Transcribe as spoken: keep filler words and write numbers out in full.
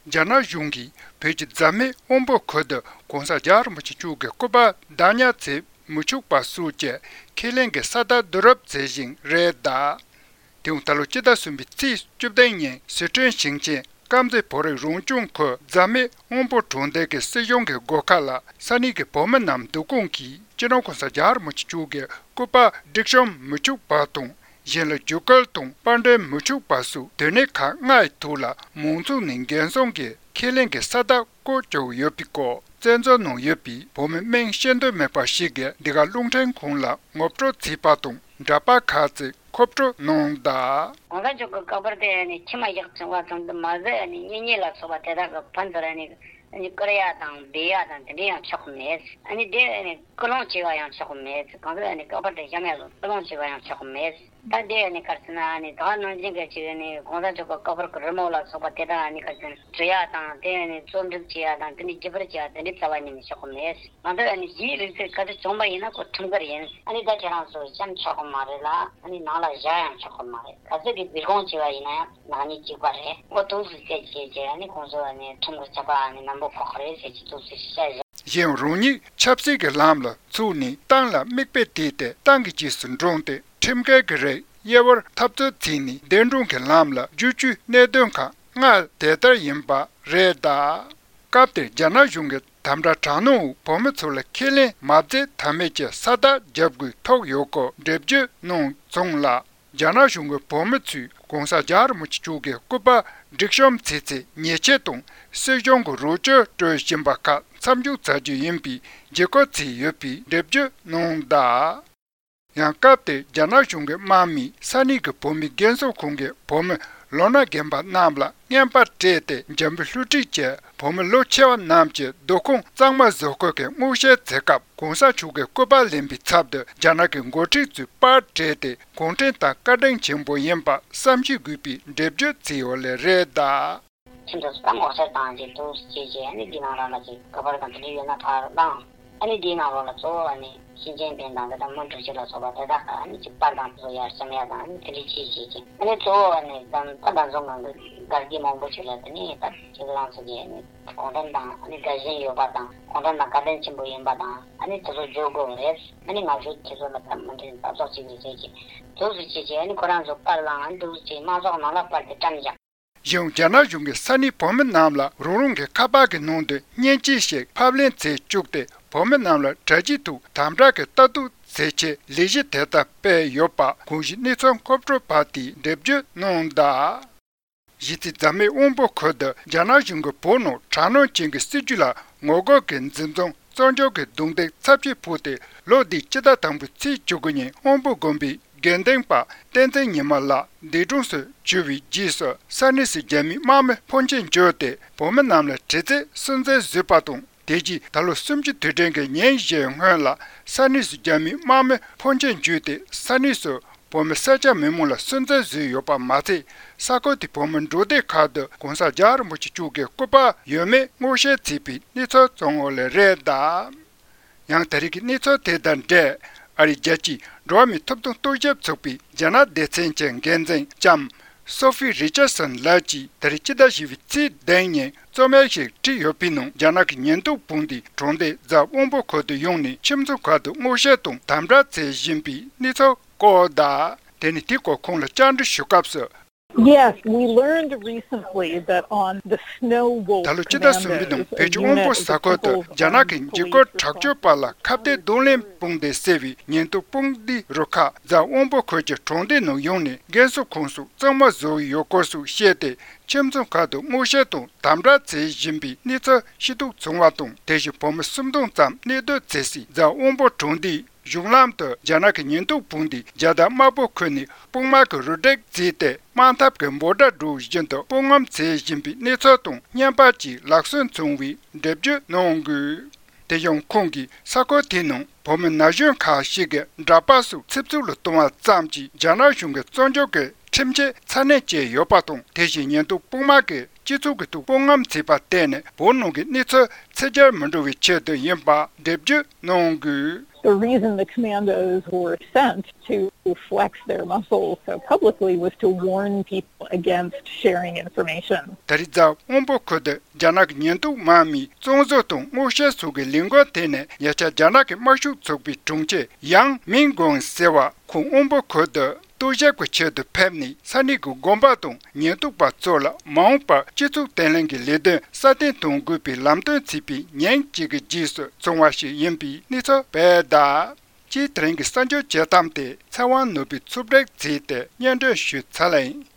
རྒྱ་ནག་གཞུང་གིས་བོད་ཀྱི་རྫ་སྨད་དབོན་པོ་ཁུལ་དུ་༸གོང་ས་༸རྒྱལ་བ་རིན་པོ་ཆེ་མཆོག་གི་སྐུ་པར་བདག་ཉར་བྱེད་མི་ཆོག་པ་སོགས་ཀྱི་ཁས་ལེན་གྱི་ས་རྟགས་བསྡུ་རུབ་བྱེད་བཞིན་རེད་གདའ། དེའང་ད་ལོ་སྤྱི་ཟླ་གསུམ་པའི་ཚེས་བཅུ་བདུན་ཉིན་སི་ཁྲོན་ཞིང་ཆེན་དཀར་མཛེས་བོད་རིགས་རང་སྐྱོང་ཁུལ་རྫ་སྨད་དབོན་པོ་གྲོང་རྡལ་གྱི་སྲིད་གཞུང་གི་སྒོ་ཁ་ལ་ས་གནས་ཀྱི་བོད་མི་རྣམས་བསྡུ་སྐོང་གིས་སྤྱི་ནོར་༸གོང་ས་༸རྒྱལ་བ་རིན་པོ་ཆེ་མཆོག་གི་སྐུ་པར་སྒྲིག་གཤོམ་མི་ཆོག་པ་དང་། གཞན་ལ་བརྒྱུད་སྐུལ་དང་པར་འདོན་མི་ཆོག་པ་སོགས་དོན་གནད་ཁག་ལྔའི་ཐོག་ལ་མང་ཚོགས་ནས་འགན་སྲུང་གི་ཁས་ལེན་གྱི་ས་རྟགས་བཀོད་བཅུག་ཡོད་པའི་སྐོར་བཙན་བྱོལ་ནང་ཡོད་པའི་བོད་མི་མིང་ཤེས་འདོད་མེད་པ་ཞིག་གིས་འདི་ག་རླུང་འཕྲིན་ཁང་ལ་ངོ་སྤྲོད་བྱས་པ་དང་འདྲ་པར་ཁག་ཅིག་མཁོ་སྤྲོད་གནང་གདའ། གོང་ས་མཆོག་གི་སྐུ་པར་དེ་ནི་མཆིལ་མ་བཞག་བྱུང་བ་ཙམ་དུ་མ་ཟད་ནི་གཉེན་ཉེ་ལ་སོགས་པ་དེ་དག་གི་ཕན་ཚུན་ནི་ནི་བཀུར་ཡ་དང་སྦས་ཡ་དང་དེ་འདྲ་ཡང་ཆོག་གི་མེད། ཨ་ནི་དེ་ནི་སྐུལ་སློང་བྱས་པ་ཡང་ཆོག་གི་མེད། གང་ཟག་ནི་སྐུ་པར་དེ་བཞག་ཡ་ལ་སྐུལ་སློང་བྱས་པ་ཡང་ཆོག་གི་མེད། ད་དེ་ནི་ག་རེ་ཟེར་ན་ནི་ད་ནང་བཞིན་གྱི་ཅིག་ནི་གོང་ས་མཆོག་གི་སྐུ་པར་གྱི་རི་མོ་ལ་སོགས་པ་དེ་དག་ནི་ག་རེ་ཟེར་ན་འབྲི་ཡ་དང་དེ་ནི་རྩོམ་སྒྲིག་བྱེད་ཡ་དང་དེ་ནི་བརྒྱུད་སྤེལ་བྱེད་ཡ་དེ་འདྲའི་རྩ་བ་ཉིད་ནས་ཆོག་གི་མེད། གང་ཟག་ནི་གཞན་རིགས་ཚོས་ག་ཚོད་བྱུང་པ་ཡིན་ན་ཁོ་ཁྲིམས་འགལ་ཡིན། ཨ་ནི་ད་ཁྱེད་རང་ཚོ་བཤམ་ཆོག་གི་མ་རེད་ལ་ཨ་ནི་ནང་ལ་བཞག་ཡང་ཆོག་གི་མ་རེད། ག་ཚོད་ཀྱི་སྦས་སྐུང་བྱས་པ་ཡིན་ན་ཡང་། ནག་ཉེས་གཅིག་པ་རེད། འོ་དུས་སུ་བཤད་བྱས་བྱས་ནི་ཁོང་ཚོ་ནི་ཁྲིམས་ཀྱི་ཆད་པ་ནི་ནན་པོ་ཕོག་གི་རེད་ཟེར་གྱི་དུས་སུ་བཤད་བཞག་གཞན་རང་ཉིད་ཆབ་སྲིད་ཀྱི་ལམ་ལ་ཚུགས་ནས་ཏང་ལ་མིག་དཔེ་བལྟས་ཏེ་ཏང་གི་རྗེས་སུ་འབྲངས་ཏེ་ཁྲིམས་འགལ་གྱི་རིགས་དབྱེ་བར་འཐབ་རྩོད་བྱས་ནས་བདེན་དྲང་གི་ལམ་ལ་བསྒྱུར་རྒྱུའི་གནད་དོན་ཁག་ལྔ་དེ་ལྟར་ཡིན་པ་རེད་གདའ། སྐབས་དེར་རྒྱ་ནག་གཞུང་གི་དམ་དྲག་དྲག་གནོན་འོག་བོད་མི་ཚོ་ལ་ཁས་ལེན་མ་བྱེད་ཐབས་མེད་ཀྱི་ས་རྟགས་རྒྱབ་དགོས་ཐུག་ཡོད་སྐོར་འགྲེལ་བརྗོད་གནང་བྱུང་ལ། རྒྱ་ནག་གཞུང་གིས་བོད་མི་ཚོས་༸གོང་ས་༸རྒྱལ་བ་རིན་པོ་ཆེ་མཆོག་གི་སྐུ་པར་སྒྲིག་གཤོམ་བྱས་ཚེ་ཉེས་ཆད་དང་སྲིད་གཞུང་གི་རོགས་སྐྱོར་སྤྲོད་བཞིན་པ་ཁག་མཚམས་འཇོག་བྱ་རྒྱུ་ཡིན་པའི་འཇིགས་སྐུལ་བྱས་ཡོད་པའི་འགྲེལ་བརྗོད་གནང་གདའ། ཡང་སྐབས་དེར་རྒྱ་ནག་གཞུང་གི་དམག་མིས་ས་གནས་ཀྱི་བོད་མིའི་རྒན་གསོ་ཁང་གི་བོད་མི་ལོ་ན་རྒན་པ་རྣམས་ལ་རྔན་པ་སྤྲད་དེ་འཇམ་པོའི་བསླུ་བྲིད་ཀྱིས་བོད་མི་ལོ་ཆེ་བ་རྣམས་ཀྱི་སྡོད་ཁང་གཙང་མ་བཟོ་དགོས་ཀྱི་སྔོག་བཤེར་བྱེད་སྐབས་གོང་ས་མཆོག་གི་སྐུ་པར་ལེན་པའི་ཚབ་ཏུ་རྒྱ་ནག་གི་འགོ་ཁྲིད་ཚོས་པར་སྤྲད་དེ་གུང་ཁྲན་ཏང་བཀའ་དྲིན་ཆེན་པོ་ཡིན་པ་བསམ་ཤེས་དགོས་པའི་འགྲེལ་བརྗོད་བྱས་ཡོད་ལེ་རེད་གདའ། ཁྱིམ་དུ་ད་ངོ་ཤེས་བཏང་རྗེས་འདུག་ཅེས་བྱས་ཨ་ནི་འདི་ནང་ལོགས་ལ་ཅིག་ཁ་པར་དང་དེ་འདྲ་ཡོད་ན་ཕར་བླངས། ཨ་ནི་འདིའི་ནང་ལོགས་ལ་གཙོ་བོ་ཨ་ནི་ཞིང་ཆེན་བོན་དང་དེ་དང་མུ་འབྲུག་སྐྱིད་ལ་སོགས་པ་དེ་དག་ཨ་ནི་ཅིག་པར་དང་དེ་ཚོ་ཡར་བཤམས་ཡ་དང་ཨ་ནི་དེ་འདྲ་ཅིག་བྱས་ཀྱི་ཨ་ནི་གཙོ་བོ་ཨ་ནི་ད་ད་ཟུང་ང་གི་དགའ་སྐྱིད་མང་པོ་ཞིག་ལ་དེ་ནི་ད་ཁྱེད་རང་ཚོ་གི་ཨ་ནི་གུང་ཁྲན་ཏང་ཨ་ནི་དགའ་ཞེན་ཡོད་པ་དང་གུང་ཁྲན་ཏང་བཀའ་དྲིན་ཆེན་པོ་ཡིན་པ་དང་ཨ་ནི་དེ་ཚོ་བརྗོད་དགོས་རེད། ཨ་ནི་ང་ཚོ་ཁྱེད་ཚོ་ལ་ད་མུ་མཐུད་ལྟ་རྟོག་ཅིག་རེད་ཟེར་གྱི་འདུག་སེ་བྱས་ཀྱི་ཨ་ནི་ཁོ་རང་ཚོ་པར་བླངས་ཨ་ནི་འདུག་སེ་བྱས་དམག་ཚོགས་ནང་ལ་པར་དེ་བཀྲམ་བཞག་གཞུང་རྒྱ་ནག་གཞུང་གིས་ས་གནས་བོད་མི་རྣམས་ལ་རང་རང་གི་ཁ་པར་གྱི་ནང་དུ་བརྙན་ཆས་ཤིག་ཕབ་ལེན་བྱེད་བཅུག་སྟེ་བོད་མི་རྣམས་ལ་དྲ་རྒྱའི་ཐོག་དམ་དྲག་གི་ལྟ་རྟོག་བྱེད་ཆེད་ལས་གཞི་དེ་ལྟར་སྤེལ་ཡོད་པ་གོང་ཞུས་གནས་ཚུལ་མཁོ་སྤྲོད་པ་དེས་འགྲེལ་བརྗོད་གནང་གདའ། གཞི་རྩའི་རྫ་སྨད་དབོན་པོ་ཁུལ་དུ་རྒྱ་ནག་གཞུང་གིས་བོད་ནང་དྲག་གནོན་ཅན་གྱི་སྲིད་ཇུས་ལ་ངོ་རྒོལ་གྱི་འཛིན་བཟུང་བཙོན་འཇུག་གི་རྡུང་རྡེག་ཚབས་ཆེ་ཕོག་སྟེ་ལོ་འདིའི་སྤྱི་ཟླ་དང་པོའི་ཚེས་བཅུ་དགུ་ཉིན་དབོན་པོ་དགོན་པའི་དགེ་འདུན་པ་བསྟན་འཛིན་ཉི་མ་ལགས་འདས་གྲོངས་སུ་གྱུར་བའི་རྗེས་སུ་ས་གནས་སུ་རྒྱ་མིའི་དམག་མི་ཕོན་ཆེན་འབྱོར་ཏེ་བོད་མི་རྣམས་ལ་དྲི་རྩད་སུན་གཙེར་བཟོས་པ་དང་དེ་རྗེས་ད་ལོ་གསུམ་བཅུའི་དུས་དྲན་གྱི་ཉིན་བཞིའི་སྔོན་ལ་ས་གནས་སུ་རྒྱ་མིའི་དམག་མི་ཕོན་ཆེན་འབྱོར་ཏེ་ས་གནས་སུ་བོད་མི་སེར་སྐྱ་མི་མང་ལ་སུན་གཙེར་བཟོས་ཡོད་པ་མ་ཚད་ས་ཁུལ་དེའི་བོད་མི་འབྲོག་སྡེ་ཁག་ཏུ་གོང་ས་རྒྱལ་བ་རིན་པོ་ཆེ་མཆོག་གི་སྐུ་པར་ཡོད་མེད་སྔོག་བཤེར་བྱས་པའི་གནས་ཚུལ་བྱུང་ཡོད་ལེ་རེད་གདའ། ཡང་ད་རེས་ཀྱི་གནས་ཚུལ་དེ་དང་འབྲེལ་ཨ་རིའི་རྒྱལ་སྤྱིའི་འགྲོ་བ་མིའི་ཐོབ་ཐང་རྟོག་ཞིབ་ཚོགས་པའི་རྒྱ་ནག་སྡེ་ཚན་གྱི་འགན་འཛིན་ལྕམ་སོ་ཧྥི་རི་ཅར་སན་ལགས་ཀྱིས་ད་རེས་སྤྱི་ཟླ་བཞི་པའི་ཚེས་བདུན་ཉིན་རྩོམ་ཡིག་ཞིག་བྲིས་ཡོད་པའི་ནང་རྒྱ་ནག་གི་ཉེན་རྟོག་དཔུང་སྡེས་གྲོང་སྡེ་རྫ་དབོན་པོ་ཁུལ་དུ་ཡོང་ནས་ཁྱིམ་ཚང་ཁག་ཏུ་སྔོག་བཤེར་དང་དམ་དྲག་བྱེད་བཞིན་པའི་གནས་ཚུལ་བཀོད་གདའ། དེ་ནས་དེའི་སྐོར་ཁོང་ལ་བཅར་འདྲི་ཞུ་སྐབས་སུ། Yes, we learned recently that on the Snow Wolf ད་ལོ་སྤྱི་ཟླ་གསུམ་པའི་ནང་བོད་ཀྱི་དབོན་པོ་ས་ཁུལ་དུ་རྒྱ་ནག་གི་འཇིགས་སྐུལ་དྲག་སྤྱོད་པ་ལ་ཁ་གཏད་གདོང་ལེན་དཔུང་སྡེ་ཟེར་བའི་ཉེན་རྟོག་དཔུང་སྡེའི་རུ་ཁག་རྫ་དབོན་པོ་ཁུལ་གྱི་གྲོང་སྡེ་ནང་ཡོང་ནས་རྒན་གསོ་ཁང་སོགས་གཙང་མ་བཟོ་ཡི་ཡོད་སྐོར་སོགས་བཤད་དེ་ཁྱིམ་ཚང་ཁག་ཏུ་སྔོག་བཤེར་དང་དམ་དྲག་བྱེད་བཞིན་པའི་གནས་ཚུལ་ཤེས་རྟོགས་བྱུང་བ་དང་དེ་བཞིན་བོད་མི་སུམ་སྟོང་ཙམ་གནས་སྡོད་བྱེད་སའི་རྫ་དབོན་པོ་གྲོང་སྡེའི་གཞུང་ལམ་དུ་རྒྱ་ནག་གི་ཉེན་རྟོག་དཔུང་སྡེས་རྒྱལ་དར་དམར་པོ་ཁུར་ནས་དཔུང་དམག་གི་རུ་སྒྲིག་བརྩིས་ཏེ་དམག་འཐབ་ཀྱི་འབོད་སྒྲ་སྒྲོག་བཞིན་དུ་དཔུང་ངོམ་བྱེད་བཞིན་པའི་གནས་ཚུལ་དང་བརྙན་པར་གྱི་ལག་སོན་བྱུང་བའི་འགྲེལ་བརྗོད་གནང་དགོས། དེ་ཡང་ཁོང་གིས་ས་ཁུལ་དེའི་ནང་བོད་མི་ན་གཞོན་ཁག་ཞིག་གི་འདྲ་པར་སོགས་ཚིག་རྩུབ་ལ་གཏོང་བ་ཙམ་གྱིས་རྒྱ་ནག་གཞུང་གིས་བཙོན་འཇུག་གི་ཁྲིམས་ཆད་ཚ་ནན་བཅད་ཡོད་པ་དང་དེ་བཞིན་ཉེན་རྟོག་དཔུང་དམག་གིས་སྤྱི་ཚོགས་ཀྱི་ཐོག་དཔུང་ངོམ་བྱས་པར་བརྟེན་ནས་བོད་ནང་གི་གནས་ཚུལ་ཚད་འཇལ་མི་འགྲོ་བའི་ཆེད་དུ་ཡིན་པ་འགྲེལ་བརྗོད་གནང་དགོས། The reason the commandos were sent to flex their muscles so publicly was to warn people against sharing information. ད་རེས་གཟའ་སྔོན་པོ་ཁུལ་དུ་རྒྱ་ནག་གི་ཉེན་རྟོག་དམག་མིས་བཙོན་བཟོ་དང་སྔོག་བཤེར་སོགས་ཀྱི་ལས་འགུལ་དེ་ནས་ཉེ་ཆར་རྒྱ་ནག་གི་དམར་ཤོག་ཚོགས་པའི་དྲུང་ཆེ་ཡང་མིང་གོང་ཟེར་བ་ཁོང་སྔོན་པོ་ཁུལ་དུ་རྟོག་ཞིབ་ཀྱི་ཆེད་དུ་ཕེབས་ནས་ས་གནས་ཀྱི་དགོན་པ་དང་ཉེན་རྟོག་པ་ཚོ་ལ་མ་འོངས་པར་སྤྱི་ཚོགས་བརྟན་ལྷིང་གི་ལས་དོན་སྲ་བརྟན་གཏོང་དགོས་པའི་ལམ་སྟོན་བྱས་པའི་ཉིན་གཅིག་གི་རྗེས་སུ་བྱུང་བ་ཞིག་ཡིན་པའི་གནས་ཚུལ་སྤེལ་གདའ། སྤྱིར་དེ་རིང་གི་གསར་འགྱུར་བྱེད་སྟངས་དེ་ཚེ་དབང་ནོར་བུས་ཕྱོགས་སྒྲིག་བྱས་ཏེ་སྙན་སྒྲོན་ཞུས་ཚར་ལ་ཡིན།